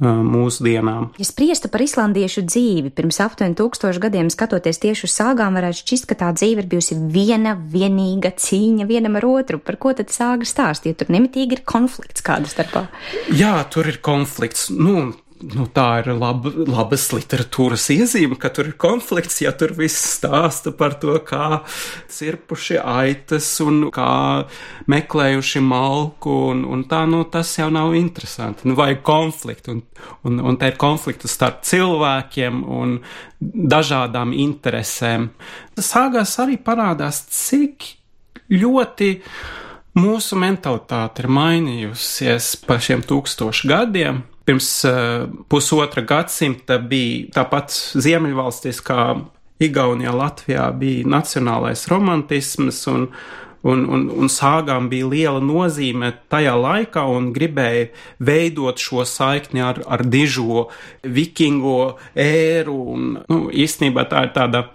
mūsdienām. Ja spriestu par islandiešu dzīvi pirms aptuveni tūkstošu gadiem, skatoties tieši uz sāgām, varētu šķist, ka tā dzīve ir bijusi viena, vienīga cīņa vienam ar otru. Par ko tad sāga stāst, ja tur nemitīgi ir konflikts kāda starpā? Jā, tur ir konflikts. Nu, nu tā ir laba, labas literatūras iezīme, ka tur ir konflikts, ja tur viss stāsta par to, kā cirpuši aitas un kā meklējuši malku, un, un tā, nu, tas jau nav interesanti. Nu, vajag konfliktu, un, un, un te ir konfliktu starp cilvēkiem un dažādām interesēm. Sāgās arī parādās, cik ļoti mūsu mentalitāte ir mainījusies pa šiem tūkstošu gadiem. Pirms uh, pusotra gadsimta bija tāpat Ziemeļvalstīs, kā Igaunijā, Latvijā bija nacionālais romantisms, un, un, un, un sāgām bija liela nozīme tajā laikā, un gribēja veidot šo saikni ar, ar dižo vikingo ēru, un nu, īstenībā tā ir tāda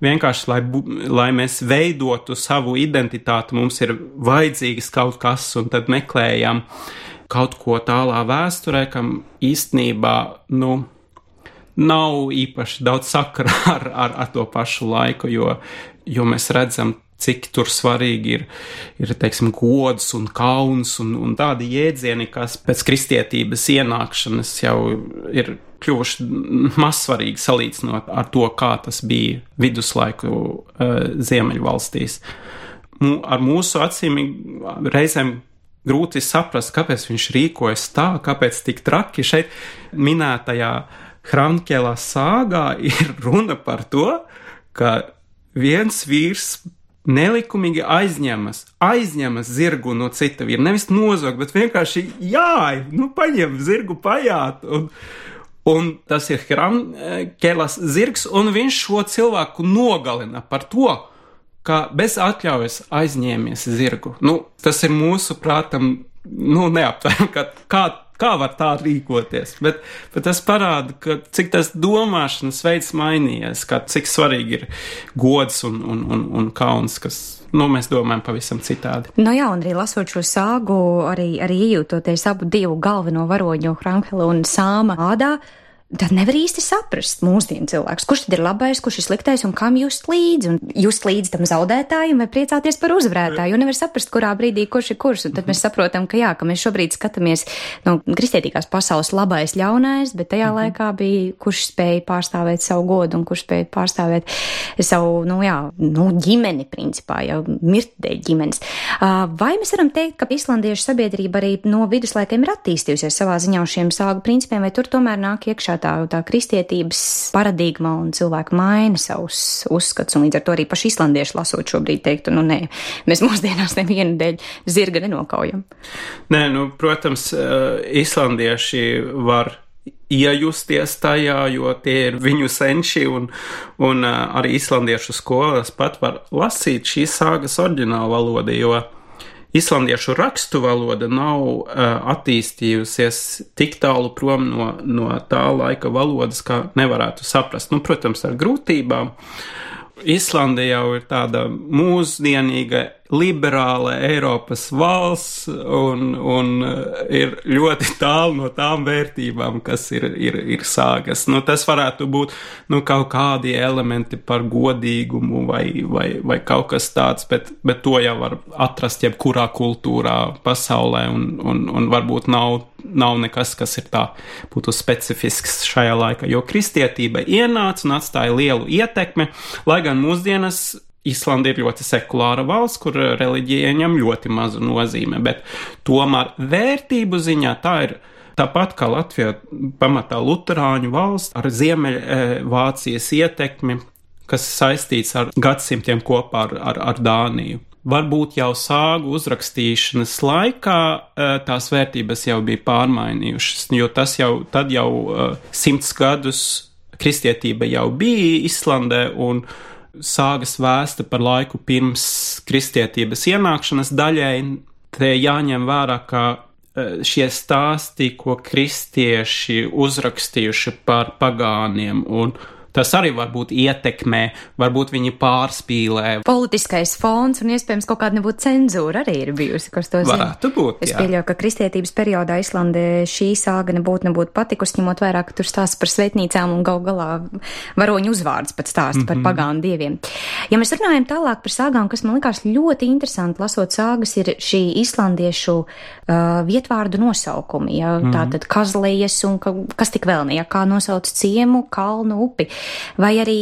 vienkārši, lai, lai mēs veidotu savu identitāti, mums ir vajadzīgs kaut kas, un tad meklējam kaut ko tālā vēsturē, kam īstenībā, nu, nav īpaši daudz sakara ar, ar, ar to pašu laiku, jo, jo mēs redzam, cik tur svarīgi ir, ir, teiksim, gods un kauns un, un tādi jēdzieni, kas pēc kristietības ienākšanas jau ir kļuvuši mazsvarīgi salīdzinot ar to, kā tas bija viduslaiku uh, Ziemeļvalstīs. M- ar mūsu acīm reizēm grūti saprast, kāpēc viņš rīkojas tā, kāpēc tik traki. Šeit minētajā Hrankela sāgā ir runa par to, ka viens vīrs nelikumīgi aizņemas, aizņemas zirgu no cita vīra. Nevis nozog, bet vienkārši jā, nu paņem zirgu pajāt. Un, un tas ir Hrankelas zirgs, un viņš šo cilvēku nogalina par to, ka bez atļaujas aizņēmies zirgu. Nu, tas ir mūsu prātam, nu, neaptveram, ka kā, kā var tā rīkoties. Bet, bet tas parāda, ka cik tas domāšanas veids mainījies, ka cik svarīgi ir gods un, un, un, un kauns, kas, nu, mēs domājam pavisam citādi. Nu jā, un arī lasot šo sāgu, arī, arī iejūtoties abu divu galveno varoņu, Hrankela un Sāma ādā, tad nevar īsti saprast mūsdienu cilvēks, kurš tad ir labais, kurš ir sliktais un kam just līdzi. Un just līdzi tam zaudētājiem vai priecāties par uzvarētāju, jo nevar saprast, kurā brīdī kurš ir kurš. Un tad mēs saprotam, ka jā, ka mēs šobrīd skatāmies no kristietīgās pasaules labais, ļaunais, bet tajā mm-hmm. laikā bija, kurš spēja pārstāvēt savu godu un kurš spēja pārstāvēt savu, nu jā, nu ģimeni principā, jau mirt dēļ ģimenes. Vai mēs varam teikt, ka islandiešu sabiedrība arī no viduslaikiem ir attīstījusies savā ziņā uz šiem sāgu principiem, vai tur tomēr nāk iekšā tā, tā kristietības paradigma un cilvēku maina savus uzskats, un līdz ar to arī paši islandieši lasot šobrīd teiktu, nu nē, mēs mūsdienās nevienu dēļ zirga nenokaujam. Nē, nu, protams, islandieši var iejusties tajā, jo tie ir viņu senči, un, un arī islandiešu skolas pat var lasīt šīs sāgas oriģinālu valodu, jo islandiešu rakstu valoda nav uh, attīstījusies tik tālu prom no, no tā laika valodas, kā nevarētu saprast. Nu, protams, ar grūtībām. Islanda jau ir tāda mūsdienīga, liberāla Eiropas valsts un, un ir ļoti tālu no tām vērtībām, kas ir, ir, ir sāgas. Nu, tas varētu būt nu, kaut kādi elementi par godīgumu vai, vai, vai kaut kas tāds, bet, bet to jau var atrast jebkurā kultūrā pasaulē un, un, un varbūt nav, nav nekas, kas ir tā būtu specifisks šajā laikā, jo kristietība ienāca un atstāja lielu ietekmi, lai gan mūsdienas Islanda ir ļoti sekulāra valsts, kur reliģija ieņem ļoti mazu nozīme, bet tomēr vērtību ziņā tā ir tāpat kā Latvija pamatā luterāņu valsts ar Ziemeļvācijas ietekmi, kas saistīts ar gadsimtiem kopā ar, ar, ar Dāniju. Varbūt jau sāgu uzrakstīšanas laikā tās vērtības jau bija pārmainījušas, jo tas jau, tad jau simts gadus kristietība jau bija Islandē un sāgas vēsta par laiku pirms kristietības ienākšanas daļai. Te jāņem vērā, ka šie stāsti, ko kristieši uzrakstījuši par pagāniem un Tas arī varbūt ietekmē, varbūt viņi pārspīlē. Politiskais fons un iespējams kaut kāda nebūtu cenzūra arī ir bijusi, kas to zina. Varētu būt, jā. Es pieļauju, ka kristietības periodā Islandē šī sāga nebūtu nebūtu patikusi, ņemot vairāk, ka tur stāsta par svētnīcām un gal galā varoņu uzvārds pat stāsta mm-hmm. par pagānu dieviem. Ja mēs runājam tālāk par sāgām, kas man likās ļoti interesanti, lasot sāgas, ir šī islandiešu uh, vietvārdu nosaukumi, ja, mm-hmm. tātad kazlējas un ka, kas tik vēl ne, ja, kā nosauc ciemu, kalnu, upi. Vai arī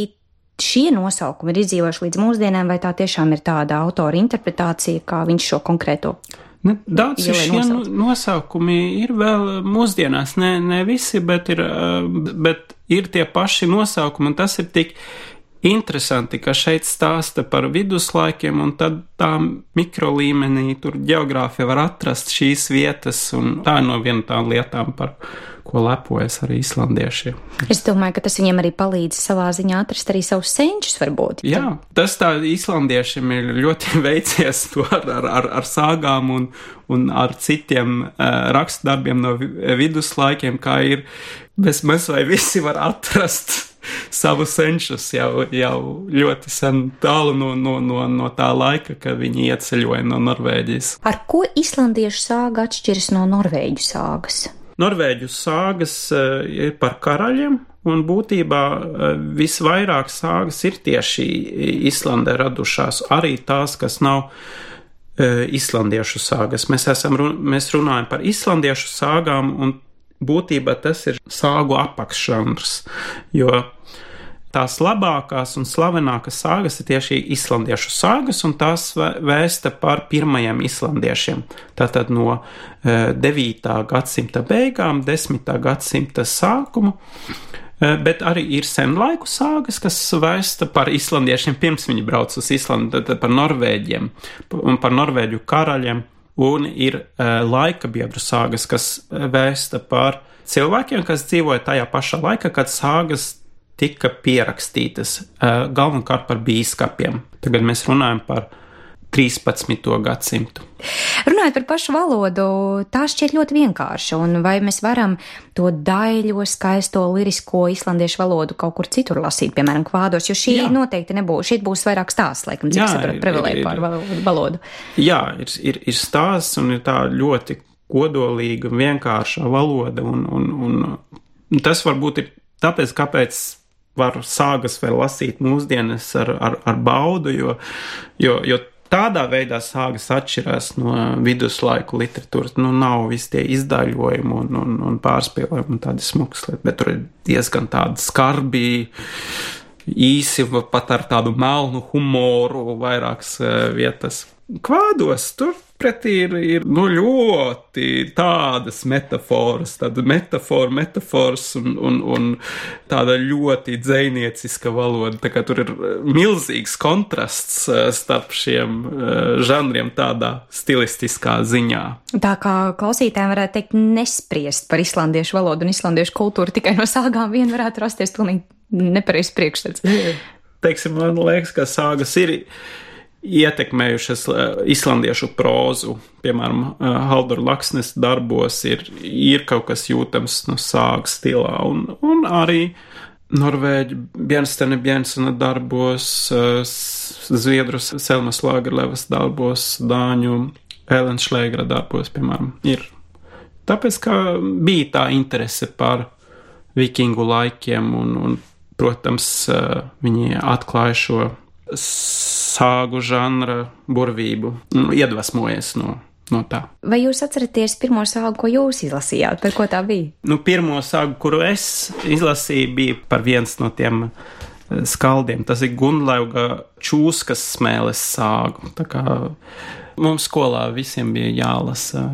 šie nosaukumi ir izdzīvojuši līdz mūsdienām, vai tā tiešām ir tāda autora interpretācija, kā viņš šo konkrēto? Ne, daudz šie nosauc. nosaukumi ir vēl mūsdienās, ne, ne visi, bet ir, bet ir tie paši nosaukumi, un tas ir tik interesanti, ka šeit stāsta par viduslaikiem, un tad tā mikrolīmenī tur geogrāfija var atrast šīs vietas, un tā ir no viena tām lietām, par ko lepojas arī islandiešiem. Es domāju, ka tas viņiem arī palīdz savā ziņā atrast arī savus senčus, varbūt. Jā, tas tā islandiešiem ir ļoti veicies to ar, ar, ar sāgām un, un ar citiem uh, rakstdarbiem no viduslaikiem, kā ir, bez mēs vai visi var atrast savu senčus jau, jau ļoti sen tālu no, no, no, no tā laika, kad viņi ieceļoja no Norvēģijas. Ar ko islandiešu sāga atšķiras no norvēģu sāgas? Norvēģu sāgas uh, ir par karaļiem, un būtībā uh, visvairāk sāgas ir tieši Islandē radušās, arī tās, kas nav uh, islandiešu sāgas. Mēs, esam, mēs runājam par islandiešu sāgām, un būtībā tas ir sāgu apakšžanrs, jo tās labākās un slavenākās sāgas ir tieši islandiešu sāgas, un tās vēsta par pirmajiem islandiešiem. Tātad no devītā gadsimta beigām, desmitā gadsimta sākumu, bet arī ir senlaiku sāgas, kas vēsta par islandiešiem pirms viņi brauc uz Islandu, tad par norvēģiem un par norvēģu karaļiem, un ir laika biedru sāgas, kas vēsta par cilvēkiem, kas dzīvoja tajā pašā laikā, kad sāgas tika pierakstītas uh, galvenokārt par bīskapiem. Tagad mēs runājam par trīspadsmito gadsimtu. Runājot par pašu valodu, tā šķiet ļoti vienkārša, un vai mēs varam to daļo, skaisto, lirisko islandiešu valodu kaut kur citur lasīt, piemēram, kvādos, jo šī Jā. noteikti nebūs, šī būs vairāk stāsts, laikam, cik saprot privilēju par valodu. Jā, ir, ir, ir stāsts, un ir tā ļoti kodolīga, vienkārša valoda, un, un, un tas varbūt ir tāpēc, kāpēc var sāgas vēl lasīt mūsdienas ar, ar, ar baudu, jo, jo, jo tādā veidā sāgas atšķirās no viduslaiku literatūras. Nu, nav visi tie izdaļojumi un, un, un pārspīlējumi un tādi smukas lietas, bet tur ir diezgan tādi skarbi, īsi, pat ar tādu melnu humoru vairākas vietas. Kvādos tur pretī ir, ir nu, ļoti tādas metaforas, tāda metafora, metafors un, un, un tāda ļoti dzejnieciska valoda. Tā kā tur ir milzīgs kontrasts starp šiem žanriem tādā stilistiskā ziņā. Tā kā klausītājiem varētu teikt nespriest par islandiešu valodu un islandiešu kultūru tikai no sāgām vien varētu rasties pilnīgi nepareizs priekšstats. Teiksim, man liekas, ka sāgas ir ietekmējušas islandiešu prózu. Piemēram, Halldora Laksnes darbos ir, ir kaut kas jūtams no sāgas stilā, un, un arī norvēģu Bjernstene Bjensena darbos, zviedru Selmas Lagerlöfas darbos, dāņu Ellen Schlegera darbos, piemēram, ir. Tāpēc, ka bija tā interese par vikingu laikiem, un, un protams, viņi atklāja šo sāgu žanra burvību, iedvesmojies no, no tā. Vai jūs atceraties pirmo sāgu, ko jūs izlasījāt? Par ko tā bija? Nu, pirmo sāgu, kuru es izlasīju, bija par viens no tiem skaldiem. Tas ir Gunlauga Čūskas smēles sāgu. Tā kā mums skolā visiem bija jālasa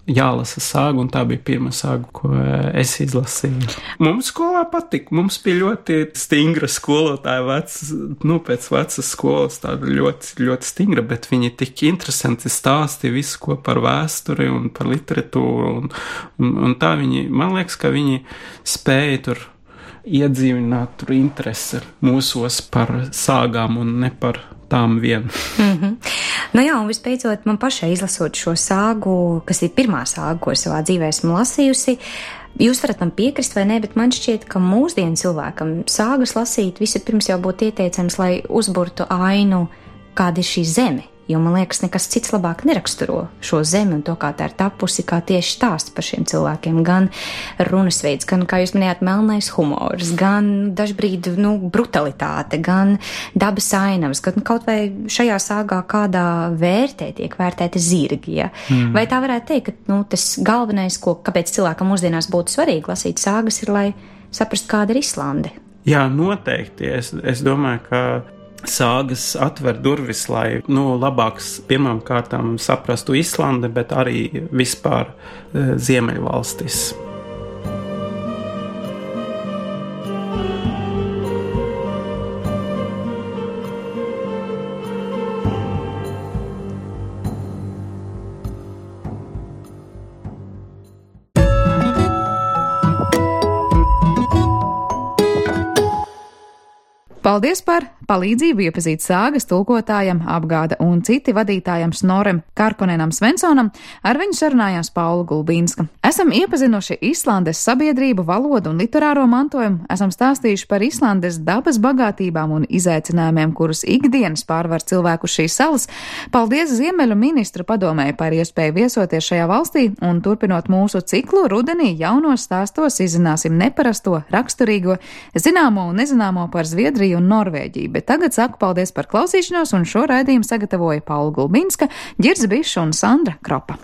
jālasa sāga, un tā bija pirmā sāga, ko es izlasīju. Mums skolā patika, mums bija ļoti stingra skolotāja, vec, nu, pēc vecas skolas, tāda ļoti, ļoti stingra, bet viņi tik interesanti stāstīja visu, ko par vēsturi un par literatūru, un, un, un tā viņi, man liekas, ka viņi spēja tur iedzīvināt tur interesi mūsos par sāgām un ne par tām vien. Mm-hmm. Nu jā, un vispēcot man pašai izlasot šo sāgu, kas ir pirmā sāga, ko savā dzīvē esmu lasījusi, Jūs varat man piekrist vai nē, bet man šķiet, ka mūsdienu cilvēkam sāgas lasīt vispirms jau būtu ieteicams, lai uzburtu ainu, kāda ir šī zeme. Jo man liekas, nekas cits labāk neraksturo šo zemi un to, kā tā ir tapusi, kā tieši stāsts par šiem cilvēkiem. Gan runas veids, gan, kā jūs minējāt, melnais humors, gan dažbrīd, nu, brutalitāte, gan dabas ainavas, gan kaut vai šajā sāgā kādā vērtē tiek vērtēti zirgi, ja? Mm. Vai tā varētu teikt, ka, nu, tas galvenais, ko, kāpēc cilvēkam mūsdienās būtu svarīgi lasīt sāgas, ir, lai saprast, kāda ir Islande? Jā, noteikti. Es, es domāju, ka sāgas atver durvis, lai nu, labāks pirmām kārtām saprastu Islandi, bet arī vispār e, Ziemeļvalstis. Paldies par palīdzību iepazīt sāgas tulkotājam, apgāda un citi vadītājam Snorem Karkonenam Svensonam, ar viņu sarunājās Paula Gulbīnska. Esam iepazinuši Islandes sabiedrību, valodu un literāro mantojumu, esam stāstījuši par Islandes dabas bagātībām un izaicinājumiem, kurus ikdienas pārvar cilvēku šīs salas. Paldies Ziemeļu ministru padomēji par iespēju viesoties šajā valstī un turpinot mūsu ciklu rudenī jaunos stāstos izzināsim neparasto, raksturīgo, zināmo un nezināmo par Zviedriju un Norvēģiju, bet tagad saku paldies par klausīšanos un šo raidījumu sagatavoja Paula Gulbīnska, Ģirds Bišs un Sandra Kropa.